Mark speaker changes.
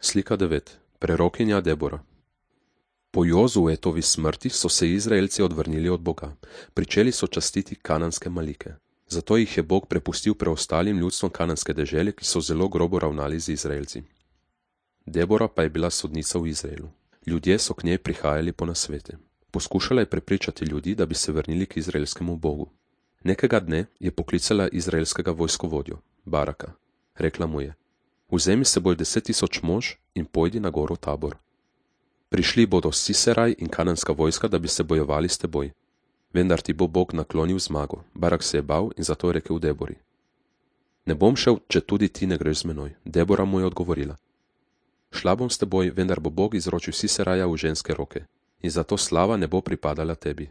Speaker 1: Slika 9. Prerokinja Debora. Po Jozuetovi smrti so se Izraelci odvrnili od Boga. Pričeli so častiti kananske malike. Zato jih je Bog prepustil preostalim ljudstvom kananske dežele, ki so zelo grobo ravnali z Izraelci. Debora pa je bila sodnica v Izraelu. Ljudje so k njej prihajali po nasvete. Poskušala je prepričati ljudi, da bi se vrnili k izraelskemu Bogu. Nekega dne je poklicala izraelskega vojskovodjo, Baraka. Rekla mu je: vzemi s seboj 10.000 mož in pojdi na goro Tabor. Prišli bodo Siseraj in kananska vojska, da bi se bojevali s teboj. Vendar ti bo Bog naklonil zmago. Barak se je bal in zato je rekel Debori: ne bom šel, če tudi ti ne greš z menoj. Debora mu je odgovorila: šla bom s teboj, vendar bo Bog izročil Siseraja v ženske roke in zato slava ne bo pripadala tebi.